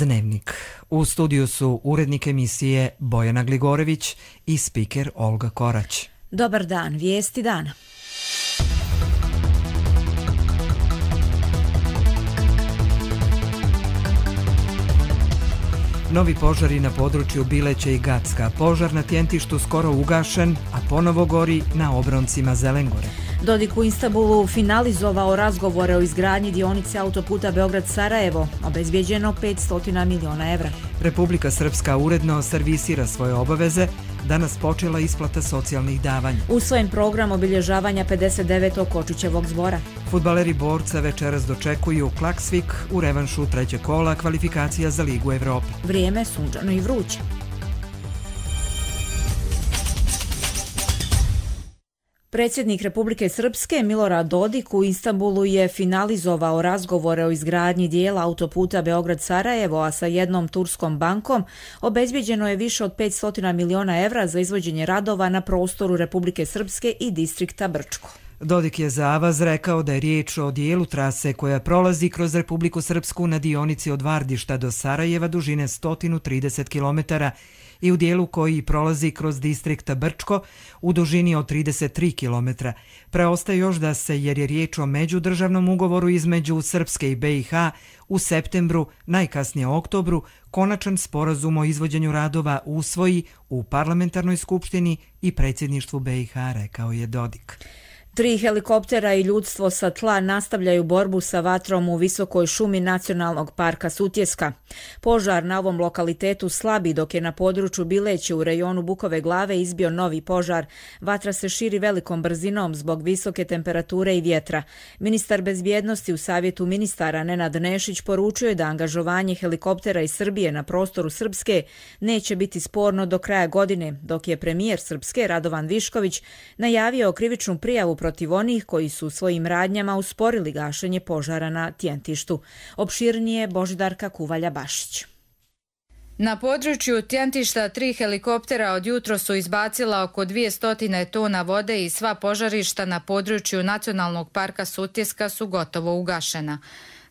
Dnevnik. U studiju su urednik emisije Bojana Gligorević i spiker Olga Korać. Dobar dan, vijesti dana. Novi požari na području Bileće i Gacka. Požar na Tjentištu skoro ugašen, a ponovo gori na obroncima Zelengore. Dodik u Istanbulu finalizovao razgovore o izgradnji dionice autoputa Beograd-Sarajevo, obezbijeđeno 500 miliona evra. Republika Srpska uredno servisira svoje obaveze, danas počela isplata socijalnih davanja. Usvojen program obilježavanja 59. Kočićevog zbora. Fudbaleri Borca večeras dočekuju Klaksvik u revanšu trećeg kola kvalifikacija za Ligu Evrope. Vrijeme sunčano i vruće. Predsjednik Republike Srpske Milorad Dodik u Istanbulu je finalizovao razgovore o izgradnji dijela autoputa Beograd-Sarajevo, a sa jednom turskom bankom obezbijeđeno je više od 500 miliona evra za izvođenje radova na prostoru Republike Srpske i distrikta Brčko. Dodik je za Avaz rekao da je riječ o dijelu trase koja prolazi kroz Republiku Srpsku na dionici od Vardišta do Sarajeva dužine 130 km i u dijelu koji prolazi kroz distrikta Brčko u dužini od 33 km. Preostaje još da se, jer je riječ o međudržavnom ugovoru između Srpske i BiH, u septembru, najkasnije oktobru, konačan sporazum o izvođenju radova usvoji u parlamentarnoj skupštini i predsjedništvu BiH, rekao je Dodik. 3 helikoptera i ljudstvo sa tla nastavljaju borbu sa vatrom u visokoj šumi Nacionalnog parka Sutjeska. Požar na ovom lokalitetu slabi, dok je na području Bileće u rejonu Bukove Glave izbio novi požar. Vatra se širi velikom brzinom zbog visoke temperature i vjetra. Ministar bezbjednosti u Savjetu ministara Nenad Nešić poručio je da angažovanje helikoptera iz Srbije na prostoru Srpske neće biti sporno do kraja godine, dok je premijer Srpske Radovan Višković najavio krivičnu prijavu protiv onih koji su svojim radnjama usporili gašenje požara na Tjentištu. Opširnije Božidarka Kuvalja-Bašić. Na području Tjentišta 3 helikoptera od jutro su izbacila oko 200 tona vode i sva požarišta na području Nacionalnog parka Sutjeska su gotovo ugašena.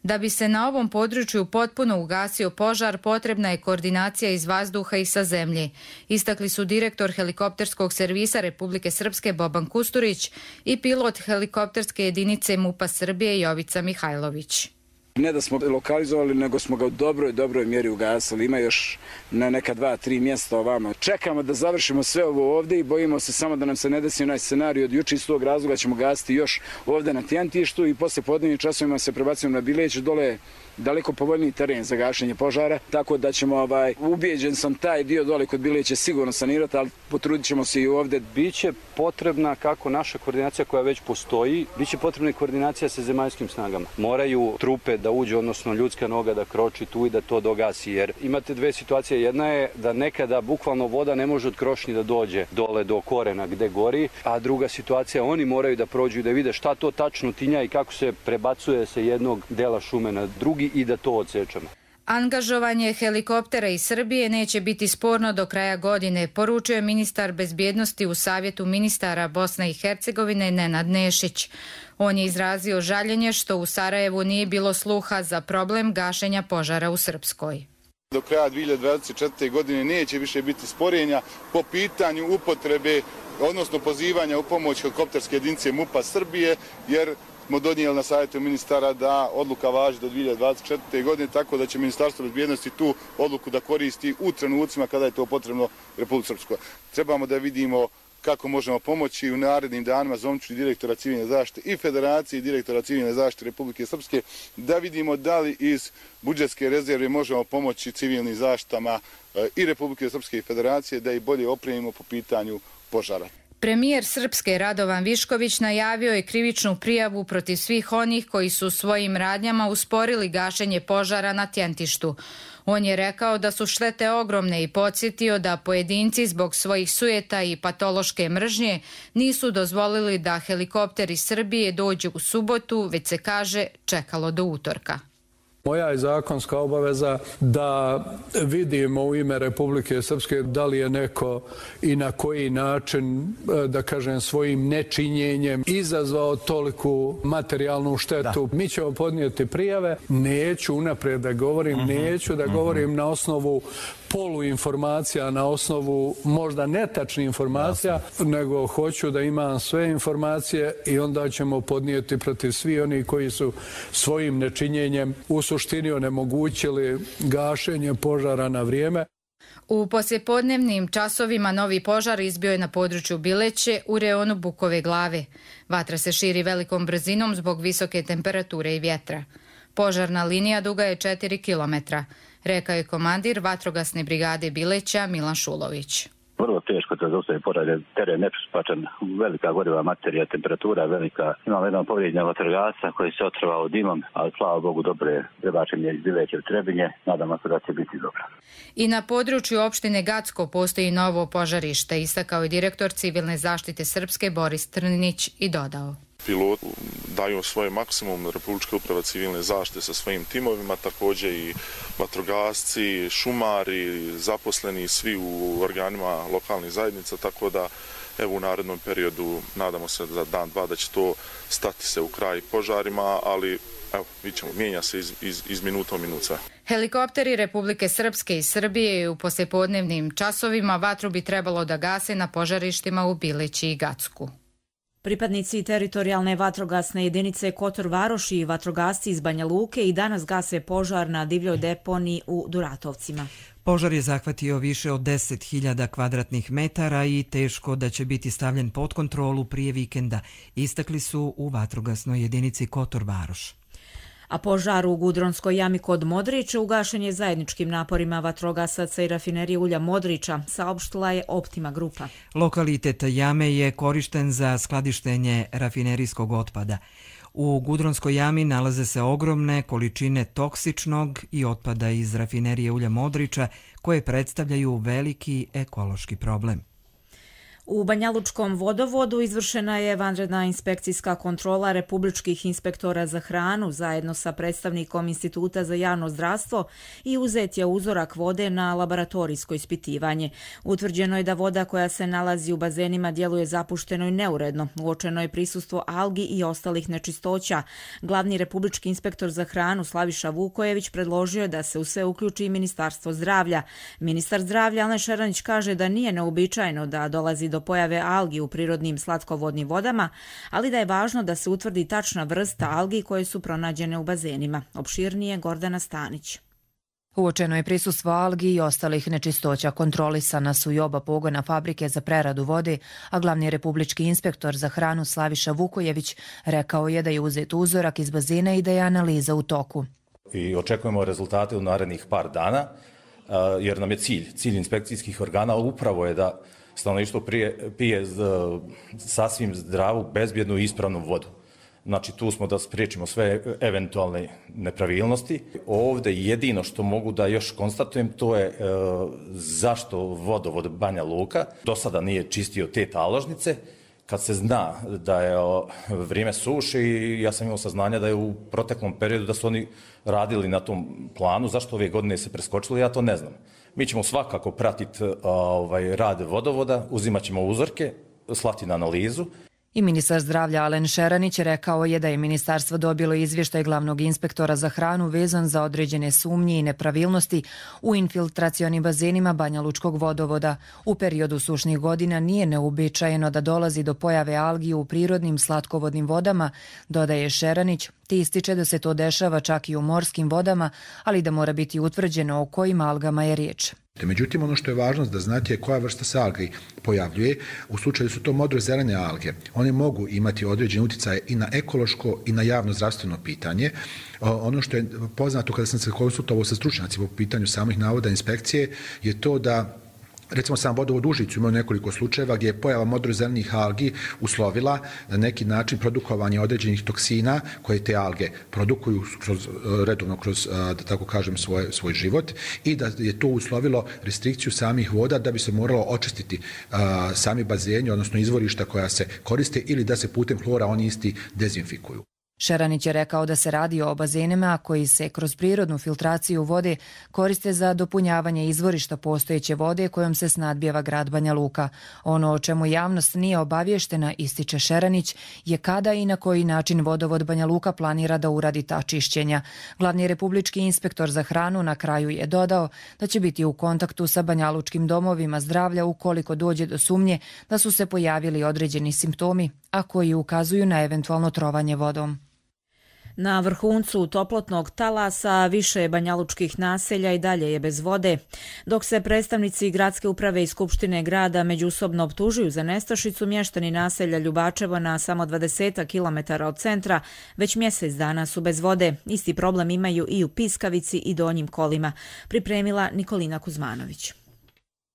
Da bi se na ovom području potpuno ugasio požar, potrebna je koordinacija iz vazduha i sa zemlje. Istakli su direktor helikopterskog servisa Republike Srpske Boban Kusturić i pilot helikopterske jedinice MUP-a Srbije Jovica Mihajlović. Ne da smo lokalizovali, nego smo ga u dobroj mjeri ugasili. Ima još na neka 2-3 mjesta ovamo. Čekamo da završimo sve ovo ovdje i bojimo se samo da nam se ne desi onaj scenarij od juče. Iz tog razloga ćemo gasiti još ovdje na Tjentištu i poslije podnevnim časovima se prebacujemo na Bileć, dole daleko povoljniji teren za gašenje požara, tako da ćemo, ubijeđen sam, taj dio dole kod Bileće sigurno sanirati, ali potrudit ćemo se i ovdje. Biće potrebna, kako naša koordinacija koja već postoji, biće potrebna i koordinacija sa zemaljskim snagama. Moraju trupe da uđe, odnosno ljudska noga da kroči tu i da to dogasi, jer imate dve situacije. Jedna je da nekada bukvalno voda ne može od krošnji da dođe dole do korena gde gori, a druga situacija, oni moraju da prođu i da vide šta to tačno tinja i kako se prebacuje sa jednog dela šume na drugi i da to odsečemo. Angažovanje helikoptera iz Srbije neće biti sporno do kraja godine, poručio je ministar bezbjednosti u Savjetu ministara Bosne i Hercegovine Nenad Nešić. On je izrazio žaljenje što u Sarajevu nije bilo sluha za problem gašenja požara u Srpskoj. Do kraja 2024. godine neće više biti sporenja po pitanju upotrebe, odnosno pozivanja u pomoć helikopterske jedinice MUP-a Srbije, jer smo donijeli na savjetu ministara da odluka važi do 2024. godine, tako da će Ministarstvo bezbjednosti tu odluku da koristi u trenucima kada je to potrebno Republike Srpskoj. Trebamo da vidimo kako možemo pomoći u narednim danima. Zovniću direktora civilne zaštite i Federacije i direktora civilne zaštite Republike Srpske da vidimo da li iz budžetske rezerve možemo pomoći civilnim zaštitama i Republike Srpske i Federacije da ih bolje opremimo po pitanju požara. Premijer Srpske Radovan Višković najavio je krivičnu prijavu protiv svih onih koji su svojim radnjama usporili gašenje požara na Tjentištu. On je rekao da su štete ogromne i podsjetio da pojedinci zbog svojih sujeta i patološke mržnje nisu dozvolili da helikopter iz Srbije dođe u subotu, već se kaže čekalo do utorka. Moja je zakonska obaveza da vidimo u ime Republike Srpske da li je neko i na koji način, da kažem, svojim nečinjenjem izazvao toliku materijalnu štetu. Mi ćemo podnijeti prijave, neću unaprijed da govorim, neću da govorim na osnovu poluinformacija, na osnovu možda netačnih informacija, nego hoću da imam sve informacije i onda ćemo podnijeti protiv svi oni koji su svojim nečinjenjem u suštini onemogućili gašenje požara na vrijeme. U poslijepodnevnim časovima novi požar izbio je na području Bileće u reonu Bukove Glave. Vatra se širi velikom brzinom zbog visoke temperature i vjetra. Požarna linija duga je 4 kilometra, rekao je komandir vatrogasne brigade Bileća Milan Šulović. Vrlo teško da zaustavi požar, teren nepristupačan, velika goriva materija, temperatura velika. Imamo jedan povrijeđen vatrogasca koji se otrovao dimom, ali slava Bogu dobro je prebačen iz Bileće u Trebinje. Nadamo se da će biti dobro. I na području opštine Gacko postoji novo požarište, istakao je direktor civilne zaštite Srpske Boris Trnić i dodao. Piloti daju svoj maksimum, Republička uprava civilne zaštite sa svojim timovima, također i vatrogasci, šumari, zaposleni, svi u organima lokalnih zajednica, tako da evo u narednom periodu nadamo se za dan, dva da će to stati se u kraj požarima, ali evo, vidimo, mijenja se iz minuta u minut sve. Helikopteri Republike Srpske i Srbije u poslijepodnevnim časovima vatru bi trebalo da gase na požarištima u Bileći i Gacku. Pripadnici teritorijalne vatrogasne jedinice Kotor Varoši i vatrogasci iz Banja Luke i danas gase požar na divljoj deponiji u Duratovcima. Požar je zahvatio više od 10.000 kvadratnih metara i teško da će biti stavljen pod kontrolu prije vikenda, istakli su u vatrogasnoj jedinici Kotor Varoš. A požar u Gudronskoj jami kod Modrića ugašen je zajedničkim naporima vatrogasaca i rafinerije ulja Modrića, saopštila je Optima grupa. Lokalitet jame je korišten za skladištenje rafinerijskog otpada. U Gudronskoj jami nalaze se ogromne količine toksičnog i otpada iz rafinerije ulja Modrića koje predstavljaju veliki ekološki problem. U Banjalučkom vodovodu izvršena je vanredna inspekcijska kontrola republičkih inspektora za hranu zajedno sa predstavnikom Instituta za javno zdravstvo i uzet je uzorak vode na laboratorijsko ispitivanje. Utvrđeno je da voda koja se nalazi u bazenima djeluje zapušteno i neuredno. Uočeno je prisustvo algi i ostalih nečistoća. Glavni republički inspektor za hranu Slaviša Vukojević predložio je da se u sve uključi i Ministarstvo zdravlja. Ministar zdravlja Alen Šeranić kaže da nije neuobičajeno da dolazi do pojave algi u prirodnim slatkovodnim vodama, ali da je važno da se utvrdi tačna vrsta algi koje su pronađene u bazenima. Opširnije Gordana Stanić. Uočeno je prisustvo algi i ostalih nečistoća. Kontrolisana su i oba pogona fabrike za preradu vode, a glavni republički inspektor za hranu Slaviša Vukojević rekao je da je uzet uzorak iz bazena i da je analiza u toku. I očekujemo rezultate u narednih par dana, jer nam je cilj inspekcijskih organa upravo je da stanovništvo pije sasvim zdravu, bezbjednu i ispravnu vodu. Znači tu smo da spriječimo sve eventualne nepravilnosti. Ovdje jedino što mogu da još konstatujem to je zašto vodovod Banja Luka do sada nije čistio te taložnice. Kad se zna da je vrijeme suše i ja sam imao saznanja da je u proteklom periodu da su oni radili na tom planu, zašto ove godine se preskočilo, ja to ne znam. Mi ćemo svakako pratiti rad vodovoda, uzimat ćemo uzorke, slati na analizu. I ministar zdravlja Alen Šeranić rekao je da je ministarstvo dobilo izvještaj glavnog inspektora za hranu vezan za određene sumnje i nepravilnosti u infiltracionim bazenima Banjalučkog vodovoda. U periodu sušnih godina nije neuobičajeno da dolazi do pojave algi u prirodnim slatkovodnim vodama, dodaje Šeranić, te ističe da se to dešava čak i u morskim vodama, ali da mora biti utvrđeno o kojim algama je riječ. Međutim, ono što je važno da znate je koja vrsta se algi pojavljuje. U slučaju su to modrozelene alge. One mogu imati određene utjecaje i na ekološko i na javno zdravstveno pitanje. Ono što je poznato kada sam se konsultovao sa stručnjacima po pitanju samih navoda inspekcije je to da recimo sam vodovod Užicu imao nekoliko slučajeva gdje je pojava modrozelenih algi uslovila na neki način produkovanje određenih toksina koje te alge produkuju redovno kroz, da tako kažem, svoj život i da je to uslovilo restrikciju samih voda da bi se moralo očistiti sami bazeni, odnosno izvorišta koja se koriste ili da se putem hlora oni isti dezinfikuju. Šeranić je rekao da se radi o bazenima koji se kroz prirodnu filtraciju vode koriste za dopunjavanje izvorišta postojeće vode kojom se snadbijeva grad Banja Luka. Ono o čemu javnost nije obavještena, ističe Šeranić, je kada i na koji način vodovod Banja Luka planira da uradi ta čišćenja. Glavni republički inspektor za hranu na kraju je dodao da će biti u kontaktu sa banjalučkim domovima zdravlja ukoliko dođe do sumnje da su se pojavili određeni simptomi, a koji ukazuju na eventualno trovanje vodom. Na vrhuncu toplotnog talasa više banjalučkih naselja i dalje je bez vode. Dok se predstavnici gradske uprave i skupštine grada međusobno optužuju za nestašicu, mještani naselja Ljubačevo na samo 20 km od centra već mjesec dana su bez vode. Isti problem imaju i u Piskavici i Donjim Kolima. Pripremila Nikolina Kuzmanović.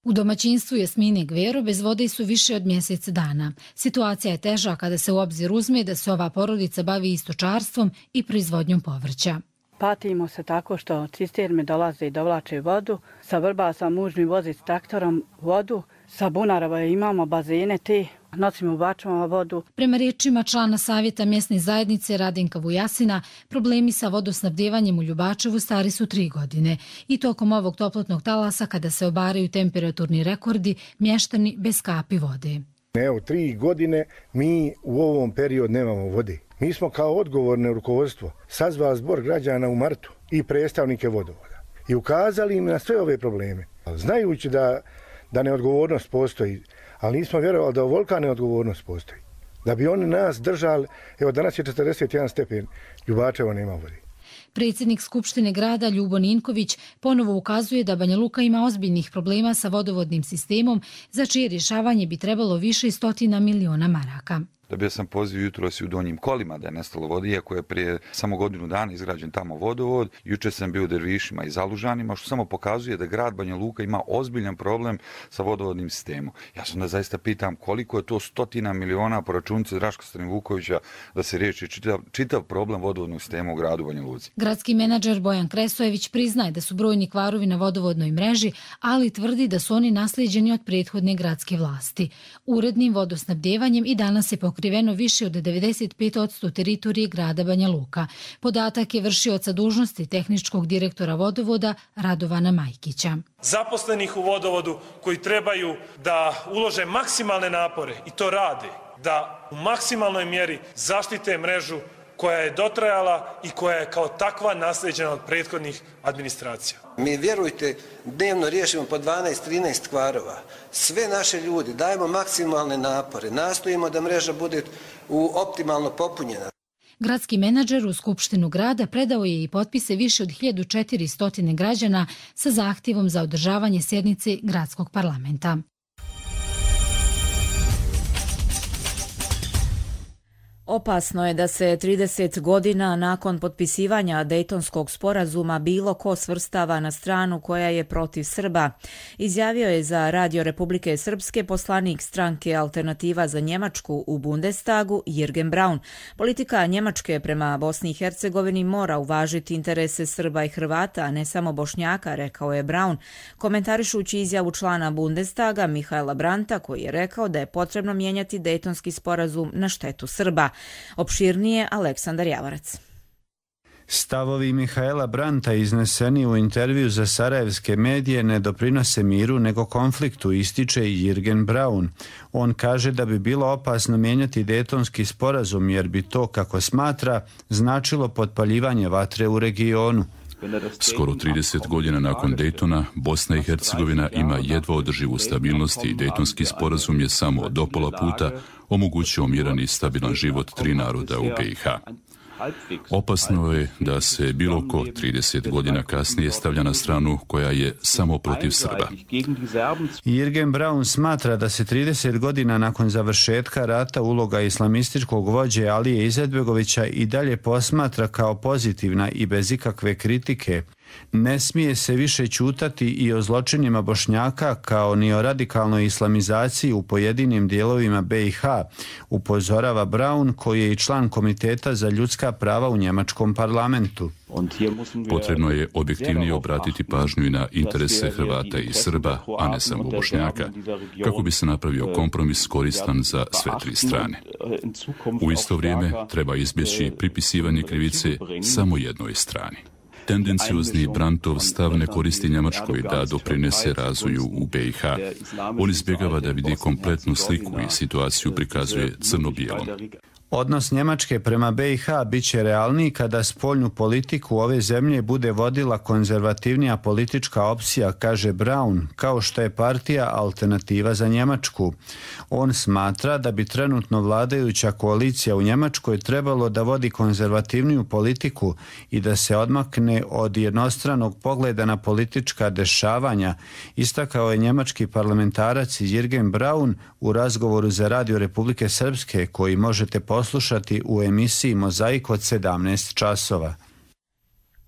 U domaćinstvu Jasmine Gvero bez vode su više od mjesec dana. Situacija je teža kada se u obzir uzme da se ova porodica bavi i stočarstvom i proizvodnjom povrća. Patimo se tako što cisterme dolaze i dovlače vodu. Sa Vrbasa muž mi vozi s traktorom vodu. Sa Bunarova imamo bazene te, nosimo ubačamo vodu. Prema riječima člana savjeta mjesne zajednice Radinka Vujasina, problemi sa vodosnabdjevanjem u Ljubačevu stari su 3 godine. I tokom ovog toplotnog talasa, kada se obaraju temperaturni rekordi, mještani bez kapi vode. Evo, 3 godine mi u ovom periodu nemamo vode. Mi smo kao odgovorno rukovodstvo sazvali zbor građana u martu i predstavnike vodovoda i ukazali im na sve ove probleme. Znajući da neodgovornost postoji, ali nismo vjerovali da ovolika neodgovornost postoji. Da bi oni nas držali, evo danas je 41 stepen, Ljubačevo nema vode. Predsjednik Skupštine grada Ljubo Ninković ponovo ukazuje da Banja Luka ima ozbiljnih problema sa vodovodnim sistemom, za čije rješavanje bi trebalo više stotina miliona maraka. Dobio sam poziv jutros u Donjim Kolima da je nestalo vode, iako je prije samo godinu dana izgrađen tamo vodovod. Juče sam bio u Dervišima i Zalužanima, što samo pokazuje da grad Banja Luka ima ozbiljan problem sa vodovodnim sistemom. Ja sam da zaista pitam koliko je to stotina miliona po računici Draška Stanivukovića da se riješi čitav problem vodovodnog sistema u gradu Banja Luci. Gradski menadžer Bojan Kresojević priznaje da su brojni kvarovi na vodovodnoj mreži, ali tvrdi da su oni naslijeđeni od prethodne gradske vlasti. Urednim vodosnabdjevanjem i danas se pokriveno više od 95% teritorije grada Banja Luka. Podatak je vršioca dužnosti tehničkog direktora vodovoda Radovana Majkića. Zaposlenih u vodovodu koji trebaju da ulože maksimalne napore i to rade, da u maksimalnoj mjeri zaštite mrežu koja je dotrajala i koja je kao takva naslijeđena od prethodnih administracija. Mi, vjerujte, dnevno riješimo po 12-13 kvarova. Sve naše ljudi dajemo maksimalne napore, nastojimo da mreža bude optimalno popunjena. Gradski menadžer u Skupštinu grada predao je i potpise više od 1400 građana sa zahtjevom za održavanje sjednice gradskog parlamenta. Opasno je da se 30 godina nakon potpisivanja Dejtonskog sporazuma bilo ko svrstava na stranu koja je protiv Srba. Izjavio je za Radio Republike Srpske poslanik stranke Alternativa za Njemačku u Bundestagu Jürgen Braun. Politika Njemačke prema Bosni i Hercegovini mora uvažiti interese Srba i Hrvata, a ne samo Bošnjaka, rekao je Braun, komentarišući izjavu člana Bundestaga Mihaela Brandta, koji je rekao da je potrebno mijenjati Dejtonski sporazum na štetu Srba. Opširnije Aleksandar Javarac. Stavovi Mihaela Brandta izneseni u intervju za sarajevske medije ne doprinose miru nego konfliktu, ističe i Jürgen Braun. On kaže da bi bilo opasno mijenjati Dejtonski sporazum jer bi to, kako smatra, značilo potpaljivanje vatre u regionu. Skoro 30 godina nakon Dejtona, Bosna i Hercegovina ima jedva održivu stabilnost i Dejtonski sporazum je samo do pola puta omogućio miran i stabilan život 3 naroda u BiH. Opasno je da se bilo ko 30 godina kasnije stavlja na stranu koja je samo protiv Srba. Jürgen Braun smatra da se 30 godina nakon završetka rata uloga islamističkog vođe Alije Izetbegovića i dalje posmatra kao pozitivna i bez ikakve kritike. Ne smije se više ćutati i o zločinima Bošnjaka kao ni o radikalnoj islamizaciji u pojedinim dijelovima BiH, upozorava Braun, koji je i član Komiteta za ljudska prava u njemačkom parlamentu. Potrebno je objektivnije obratiti pažnju i na interese Hrvata i Srba, a ne samo Bošnjaka, kako bi se napravio kompromis koristan za sve tri strane. U isto vrijeme treba izbjeći pripisivanje krivice samo jednoj strani. Tendenciozni Brandtov stav ne koristi Njemačkoj da doprinese razvoju u BiH. On izbjegava da vidi kompletnu sliku i situaciju prikazuje crno-bijelom. Odnos Njemačke prema BiH bit će realniji kada spoljnu politiku ove zemlje bude vodila konzervativnija politička opcija, kaže Braun, kao što je partija Alternativa za Njemačku. On smatra da bi trenutno vladajuća koalicija u Njemačkoj trebalo da vodi konzervativniju politiku i da se odmakne od jednostranog pogleda na politička dešavanja, istakao je njemački parlamentarac Jürgen Braun u razgovoru za Radio Republike Srpske, koji možete poslušati u emisiji Mozaik od 17 časova.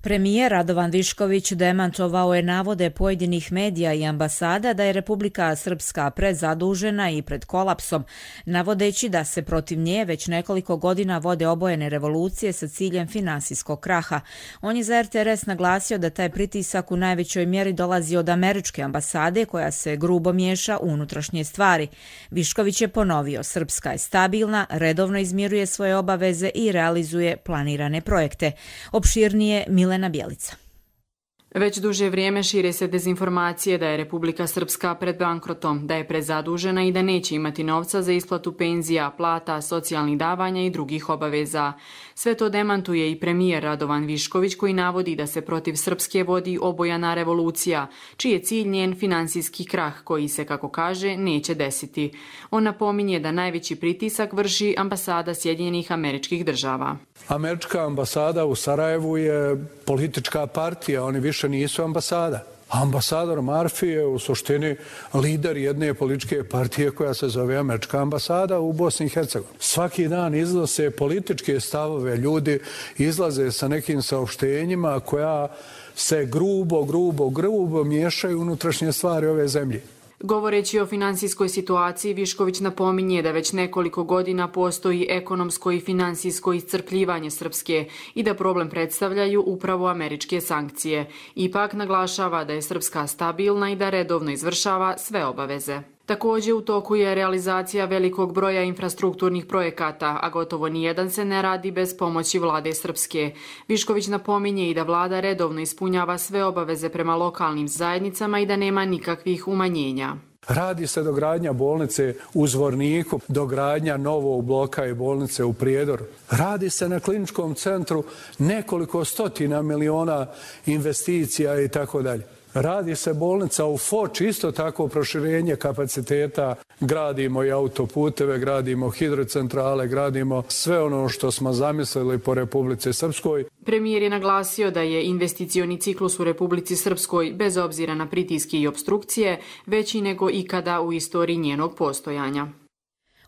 Premijer Radovan Višković demantovao je navode pojedinih medija i ambasada da je Republika Srpska prezadužena i pred kolapsom, navodeći da se protiv nje već nekoliko godina vode obojene revolucije sa ciljem finansijskog kraha. On je za RTRS naglasio da taj pritisak u najvećoj mjeri dolazi od američke ambasade, koja se grubo miješa u unutrašnje stvari. Višković je ponovio, Srpska je stabilna, redovno izmiruje svoje obaveze i realizuje planirane projekte. Opširnije Milena Bjelica. Već duže vrijeme šire se dezinformacije da je Republika Srpska pred bankrotom, da je prezadužena i da neće imati novca za isplatu penzija, plata, socijalnih davanja i drugih obaveza. Sve to demantuje i premijer Radovan Višković, koji navodi da se protiv Srpske vodi obojana revolucija, čiji je cilj njen finansijski krah, koji se, kako kaže, neće desiti. On napominje da najveći pritisak vrši ambasada Sjedinjenih Američkih Država. Američka ambasada u Sarajevu je politička partija, oni više nisu ambasada. Ambasador Marfi je u suštini lider jedne političke partije koja se zove Američka ambasada u Bosni i Hercegovini. Svaki dan iznose političke stavove, ljudi izlaze sa nekim saopštenjima koja se grubo miješaju unutrašnje stvari ove zemlje. Govoreći o finansijskoj situaciji, Višković napominje da već nekoliko godina postoji ekonomsko i finansijsko iscrpljivanje Srpske i da problem predstavljaju upravo američke sankcije. Ipak naglašava da je Srpska stabilna i da redovno izvršava sve obaveze. Također u toku je realizacija velikog broja infrastrukturnih projekata, a gotovo nijedan se ne radi bez pomoći vlade Srpske. Višković napominje i da vlada redovno ispunjava sve obaveze prema lokalnim zajednicama i da nema nikakvih umanjenja. Radi se dogradnja bolnice u Zvorniku, dogradnja novog bloka i bolnice u Prijedoru. Radi se na kliničkom centru nekoliko stotina miliona investicija i tako dalje. Radi se bolnica u Foči, isto tako proširenje kapaciteta, gradimo i autoputeve, gradimo hidrocentrale, gradimo sve ono što smo zamislili po Republici Srpskoj. Premijer je naglasio da je investicioni ciklus u Republici Srpskoj, bez obzira na pritiske i opstrukcije, veći nego ikada u istoriji njenog postojanja.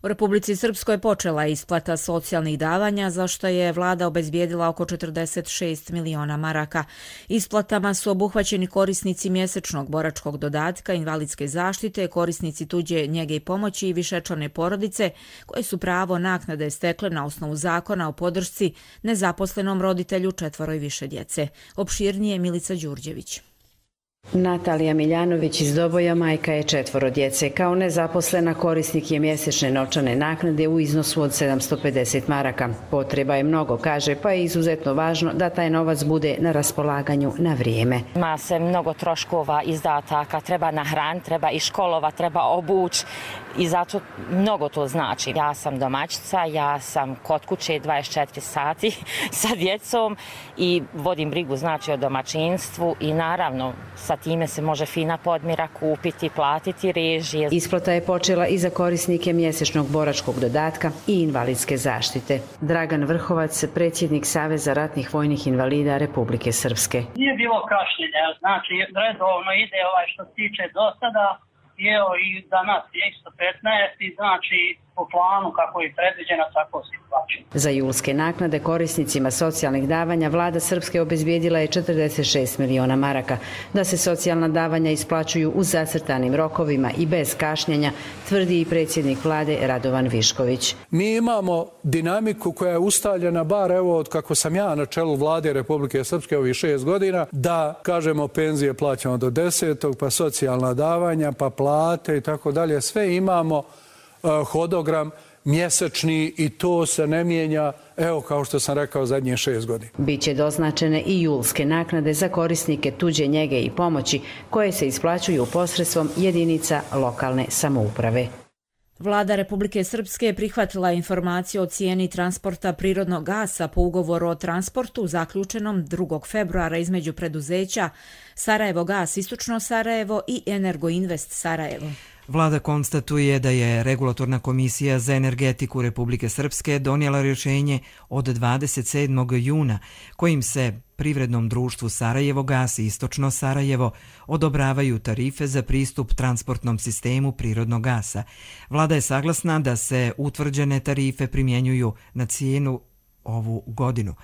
U Republici Srpskoj počela je isplata socijalnih davanja, za što je vlada obezbijedila oko 46 miliona maraka. Isplatama su obuhvaćeni korisnici mjesečnog boračkog dodatka, invalidske zaštite, korisnici tuđe njege i pomoći i višečlane porodice, koje su pravo naknade stekle na osnovu zakona o podršci nezaposlenom roditelju 4 i više djece. Opširnije Milica Đurđević. Natalija Miljanović iz Doboja majka je 4 djece. Kao nezaposlena korisnik je mjesečne novčane naknade u iznosu od 750 maraka. Potreba je mnogo, kaže, pa je izuzetno važno da taj novac bude na raspolaganju na vrijeme. Ima se mnogo troškova, izdataka, treba nahraniti, treba i školova, treba obući i zato mnogo to znači. Ja sam domaćica, ja sam kod kuće 24 sati sa djecom i vodim brigu znači o domaćinstvu i naravno sa time se može fina podmira kupiti, platiti režije. Isplata je počela i za korisnike mjesečnog boračkog dodatka i invalidske zaštite. Dragan Vrhovac, predsjednik Saveza ratnih vojnih invalida Republike Srpske. Nije bilo kašnjenja, znači redovno ide što se tiče do sada, i danas je isto 15 i znači po planu kako je predviđeno, tako se plaćaju. Za julske naknade korisnicima socijalnih davanja vlada Srpske obezbijedila je 46 miliona maraka. Da se socijalna davanja isplaćuju u zacrtanim rokovima i bez kašnjenja, tvrdi i predsjednik vlade Radovan Višković. Mi imamo dinamiku koja je ustaljena, bar evo od kako sam ja na čelu vlade Republike Srpske ovih 6 godina, da kažemo penzije plaćamo do 10. pa socijalna davanja, pa plate i tako dalje. Sve imamo hodogram mjesečni i to se ne mijenja, evo kao što sam rekao, zadnje 6 godina. Biće doznačene i julske naknade za korisnike tuđe njege i pomoći koje se isplaćuju posredstvom jedinica lokalne samouprave. Vlada Republike Srpske prihvatila informaciju o cijeni transporta prirodnog gasa po ugovoru o transportu zaključenom 2. februara između preduzeća Sarajevo Gas Istočno Sarajevo i Energoinvest Sarajevo. Vlada konstatuje da je Regulatorna komisija za energetiku Republike Srpske donijela rješenje od 27. juna kojim se privrednom društvu Sarajevo Gas i Istočno Sarajevo odobravaju tarife za pristup transportnom sistemu prirodnog gasa. Vlada je saglasna da se utvrđene tarife primjenjuju na cijenu ovu godinu.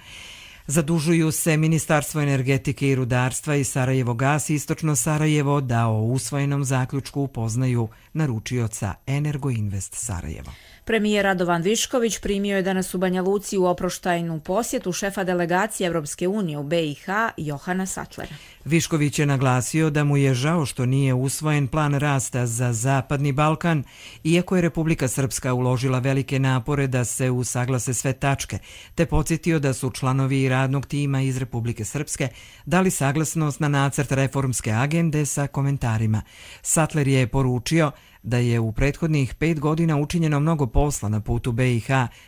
Zadužuju se Ministarstvo energetike i rudarstva i Sarajevo Gas i Istočno Sarajevo da o usvojenom zaključku upoznaju naručioca Energoinvest Sarajevo. Premijer Radovan Višković primio je danas u Banja Luci u oproštajnu posjetu šefa delegacije Evropske unije u BiH Johana Sattlera. Višković je naglasio da mu je žao što nije usvojen plan rasta za Zapadni Balkan, iako je Republika Srpska uložila velike napore da se usaglase sve tačke, te podsjetio da su članovi radnog tima iz Republike Srpske dali saglasnost na nacrt reformske agende sa komentarima. Sattler je poručio da je u prethodnih 5 godina učinjeno mnogo posla na putu BiH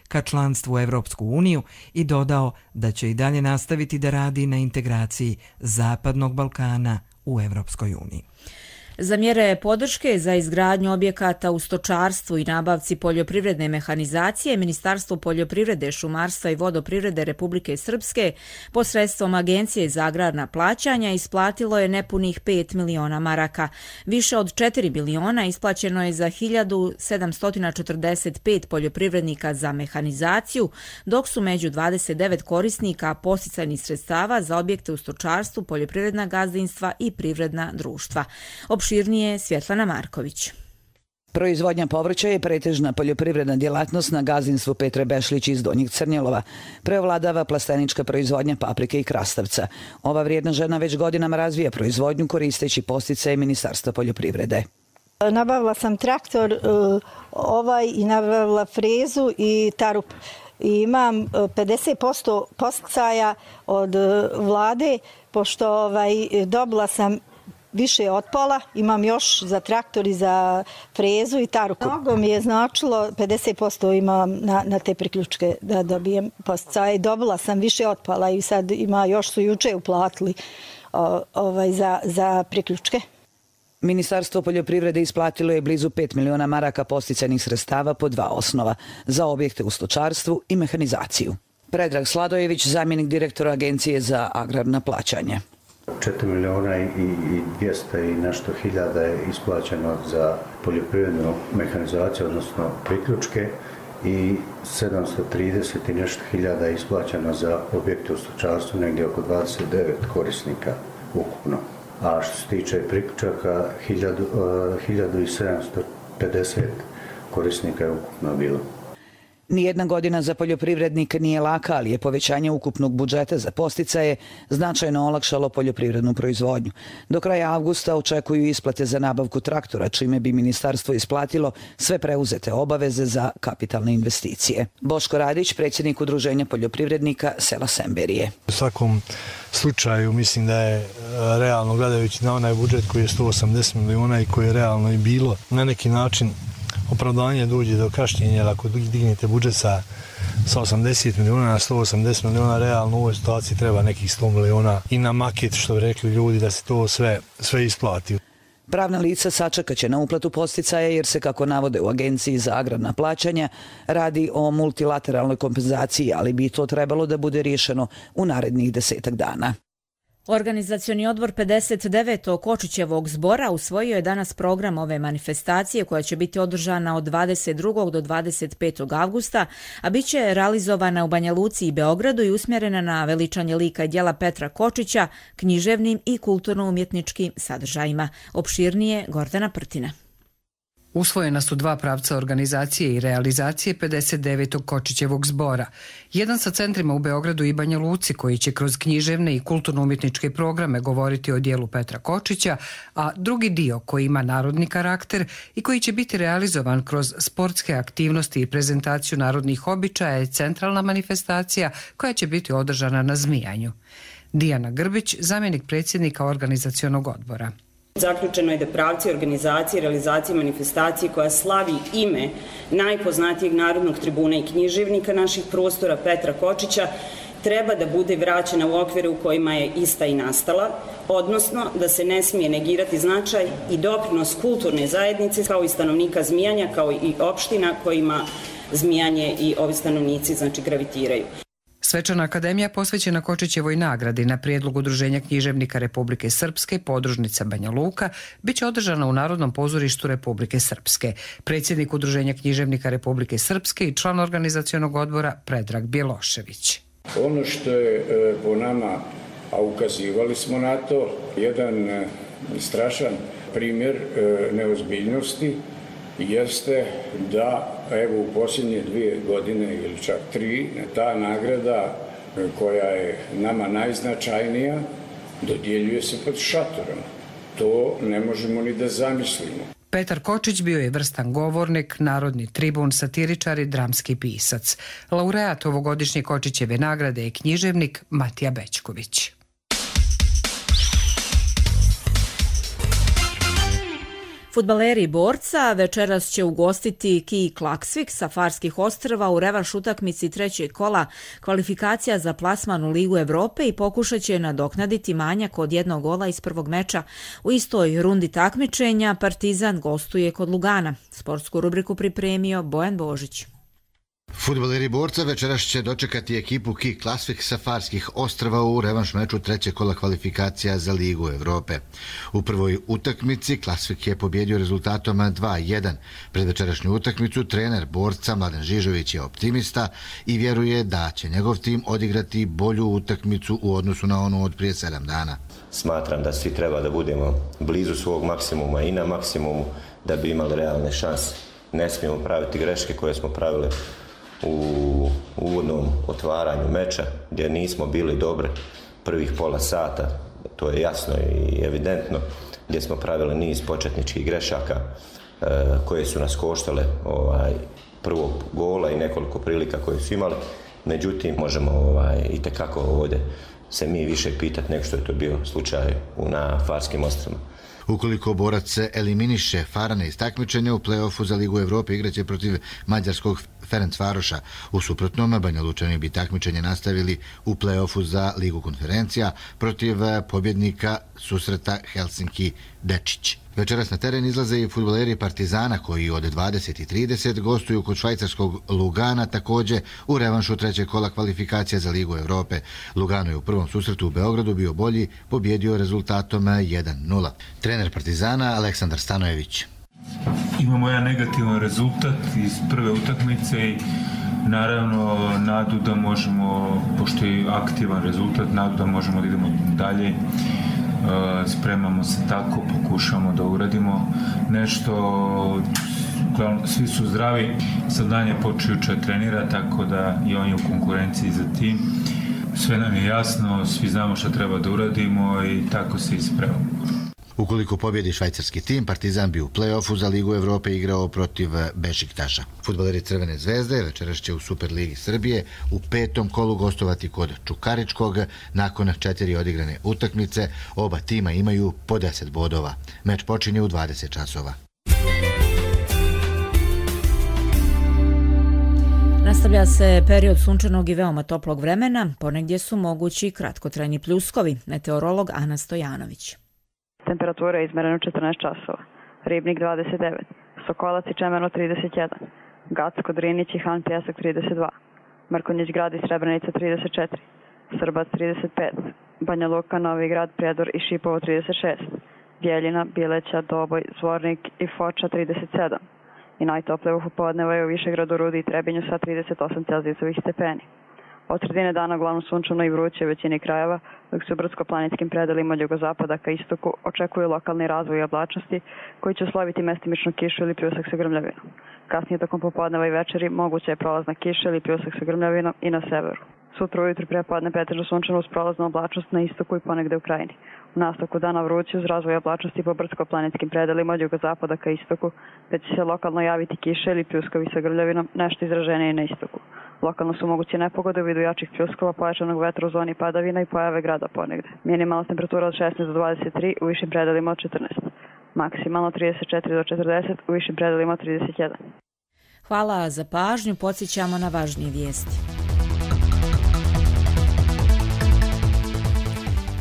ka članstvu u Evropsku uniju i dodao da će i dalje nastaviti da radi na integraciji Zapadnog Balkana u Evropskoj uniji. Za mjere podrške za izgradnju objekata u stočarstvu i nabavci poljoprivredne mehanizacije, Ministarstvo poljoprivrede, šumarstva i vodoprivrede Republike Srpske posredstvom Agencije za agrarna plaćanja isplatilo je nepunih 5 miliona maraka. Više od 4 miliona isplaćeno je za 1745 poljoprivrednika za mehanizaciju, dok su među 29 korisnika podsticajnih sredstava za objekte u stočarstvu, poljoprivredna gazdinstva i privredna društva. Opširnije Svjetlana Marković. Proizvodnja povrća je pretežna poljoprivredna djelatnost na gazdinstvu Petre Bešlić iz Donjeg Crnjelova. Preovladava plastenička proizvodnja paprike i krastavca. Ova vrijedna žena već godinama razvija proizvodnju koristeći podsticaje Ministarstva poljoprivrede. Nabavila sam traktor i nabavila frezu i tarup. I imam 50% podsticaja od vlade, pošto dobila sam više od pola, imam još za traktor i za frezu i taruku. Mnogo mi je značilo, 50% imam na te priključke da dobijem podsticaje. Dobila sam više od pola i sad još su juče uplatili za priključke. Ministarstvo poljoprivrede isplatilo je blizu 5 miliona maraka podsticajnih sredstava po 2 osnova za objekte u stočarstvu i mehanizaciju. Predrag Sladojević, zamjenik direktora Agencije za agrarna plaćanja. 4 miliona i 200 i nešto hiljada je isplaćeno za poljoprivrednu mehanizaciju, odnosno priključke, i 730 i nešto hiljada je isplaćeno za objekte u stočarstvu, negdje oko 29 korisnika ukupno. A što se tiče priključaka, 1750 korisnika je ukupno bilo. Nijedna godina za poljoprivrednike nije laka, ali je povećanje ukupnog budžeta za podsticaje značajno olakšalo poljoprivrednu proizvodnju. Do kraja avgusta očekuju isplate za nabavku traktora, čime bi ministarstvo isplatilo sve preuzete obaveze za kapitalne investicije. Boško Radić, predsjednik Udruženja poljoprivrednika sela Semberije. U svakom slučaju mislim da je realno gledajući na onaj budžet koji je 180 miliona i koji je realno i bilo na neki način opravdanje dođe do kašnjenja, jer ako dignete budžet sa 80 miliona na 180 miliona, realno u ovoj situaciji treba nekih 100 miliona i na maket, što bi rekli ljudi, da se to sve isplati. Pravna lica sačekaće na uplatu podsticaja jer se, kako navode u Agenciji za agrarna plaćanja, radi o multilateralnoj kompenzaciji, ali bi to trebalo da bude riješeno u narednih 10 dana. Organizacioni odbor 59. Kočićevog zbora usvojio je danas program ove manifestacije koja će biti održana od 22. do 25. avgusta, a bit će realizovana u Banja Luci i Beogradu i usmjerena na veličanje lika i djela Petra Kočića, književnim i kulturno-umjetničkim sadržajima. Opširnije Gordana Prtina. Usvojena su dva pravca organizacije i realizacije 59. Kočićevog zbora. Jedan sa centrima u Beogradu i Banja Luci koji će kroz književne i kulturno-umjetničke programe govoriti o dijelu Petra Kočića, a drugi dio koji ima narodni karakter i koji će biti realizovan kroz sportske aktivnosti i prezentaciju narodnih običaja je centralna manifestacija koja će biti održana na Zmijanju. Dijana Grbić, zamjenik predsjednika organizacionog odbora. Zaključeno je da pravci organizacije i realizacije manifestacije koja slavi ime najpoznatijeg narodnog tribuna i književnika naših prostora Petra Kočića treba da bude vraćena u okvire u kojima je ista i nastala, odnosno da se ne smije negirati značaj i doprinos kulturne zajednice kao i stanovnika Zmijanja, kao i opština kojima Zmijanje i ovi stanovnici gravitiraju. Svečana akademija posvećena Kočićevoj nagradi na prijedlog Udruženja književnika Republike Srpske, podružnica Banja Luka, bit će održana u Narodnom pozorištu Republike Srpske. Predsjednik Udruženja književnika Republike Srpske i član organizacionog odbora Predrag Bjelošević. Ono što je po nama, a ukazivali smo na to, jedan strašan primjer neozbiljnosti jeste da evo u posljednje 2 godine ili čak 3 ta nagrada koja je nama najznačajnija dodjeljuje se pod šatorom. To ne možemo ni da zamislimo. Petar Kočić bio je vrstan govornik, narodni tribun, satiričar i dramski pisac. Laureat ovogodišnje Kočićeve nagrade je književnik Matija Bećković. Fudbaleri Borca večeras će ugostiti Ki Klaksvik sa Farskih ostrva u revanš utakmici trećeg kola kvalifikacija za plasman u Ligu Evrope i pokušat će nadoknaditi manjak od 1 gola iz prvog meča. U istoj rundi takmičenja Partizan gostuje kod Lugana. Sportsku rubriku pripremio Bojan Božić. Fudbaleri Borca večeras će dočekati ekipu Ki Klaksvik sa Farskih ostrva u revanš meču trećeg kola kvalifikacija za Ligu Evrope. U prvoj utakmici Klaksvik je pobjedio rezultatom 2-1. Pred večerašnju utakmicu trener Borca Mladen Žižović je optimista i vjeruje da će njegov tim odigrati bolju utakmicu u odnosu na onu od prije 7 dana. Smatram da svi treba da budemo blizu svog maksimuma i na maksimumu da bi imali realne šanse. Ne smijemo praviti greške koje smo pravili u uvodnom otvaranju meča gdje nismo bili dobri prvih pola sata, to je jasno i evidentno, gdje smo pravili niz početničkih grešaka koje su nas koštale prvog gola i nekoliko prilika koje su imali. Međutim, možemo itekako ovdje se mi više pitati nego što je to bio slučaj na Farskim ostrvima. Ukoliko Borac se eliminiše Farane iz takmičenja, u play-offu za Ligu Evrope igraće protiv mađarskog Ferencvaroša. U suprotnom, Banja Lučani bi takmičenje nastavili u play-offu za Ligu konferencija protiv pobjednika susreta Helsinki-Dečić. Večeras na teren izlaze i fudbaleri Partizana koji od 20:30 gostuju kod švajcarskog Lugana, također u revanšu trećeg kola kvalifikacija za Ligu Evrope. Lugano je u prvom susretu u Beogradu bio bolji, pobjedio rezultatom 1-0. Trener Partizana Aleksandar Stanojević. Imamo jedan negativan rezultat iz prve utakmice i naravno nadu da možemo, pošto je aktivan rezultat, nadu da možemo da idemo dalje. Spremamo se tako, pokušamo da uradimo nešto, svi su zdravi, sad dan je počeo juče trenira, tako da i on je u konkurenciji za tim. Sve nam je jasno, svi znamo šta treba da uradimo i tako se ispremamo. Ukoliko pobjedi švajcarski tim, Partizan bi u play-offu za Ligu Evrope igrao protiv Bešiktaša. Fudbaleri Crvene zvezde večeras će u Superligi Srbije u 5. kolu gostovati kod Čukaričkog. Nakon 4 odigrane utakmice, oba tima imaju po 10 bodova. Meč počinje u 20 časova. Nastavlja se period sunčanog i veoma toplog vremena, ponegdje su mogući kratkotrajni pljuskovi. Meteorolog Ana Stojanović. Temperatura je izmerena 14 časova. Ribnik 29, Sokolac i Čemerno 31, Gacko, Drinić i Han Pjesak 32, Mrkonjić Grad i Srebrenica 34, Srbac 35, Banja Luka, Novi Grad, Prijedor i Šipovo 36, Bjeljina, Bileća, Doboj, Zvornik i Foča 37 i najtoplije u popodneva je u Višegradu, Rudi i Trebinju sa 38 celzijusovih stepeni. Od sredine dana uglavnom sunčano i vruće u većini krajeva, dok se u brdsko-planinskim predelima od jugozapada ka istoku očekuju lokalni razvoj oblačnosti koji će usloviti mestimičnu kišu ili pljusak sa grmljavinom. Kasnije tokom popodneva i večeri moguća je prolazna kiša ili pljusak sa grmljavinom i na severu. Sutra ujutru prepodne pretežno sunčano uz prolaznu oblačnost na istoku i ponegde u krajini. U nastavku dana vruće uz razvoj oblačnosti po brdsko-planinskim predelima od jugozapada ka istoku, te će se lokalno javiti kiše ili pljuskovi sa grmljavinom, nešto izraženije na istoku. Lokalno su moguće nepogode u vidu jačih pljuskova, pojačanog vetra u zoni padavina i pojave grada ponegde. Minimalna temperatura od 16 do 23, u višim predelima od 14. Maksimalno 34 do 40, u višim predelima od 31. Hvala za pažnju, podsjećamo na važnije vijesti.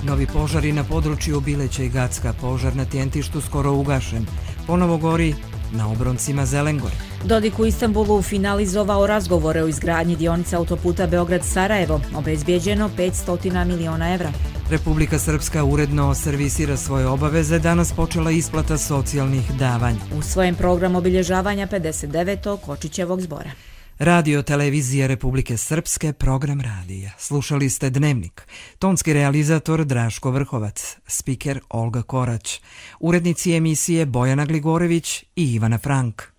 Novi požari na području Bileća i Gacka, požar na Tjentištu skoro ugašen. Ponovo gori na obroncima Zelengore. Dodik u Istanbulu finalizovao razgovore o izgradnji dionice autoputa Beograd-Sarajevo, obezbijeđeno 500 miliona evra. Republika Srpska uredno servisira svoje obaveze, danas počela isplata socijalnih davanja. U svojem programu obilježavanja 59. Kočićevog zbora. Radio televizija Republike Srpske, program radija. Slušali ste Dnevnik. Tonski realizator Draško Vrhovac, spiker Olga Korać, urednici emisije Bojana Gligorević i Ivana Frank.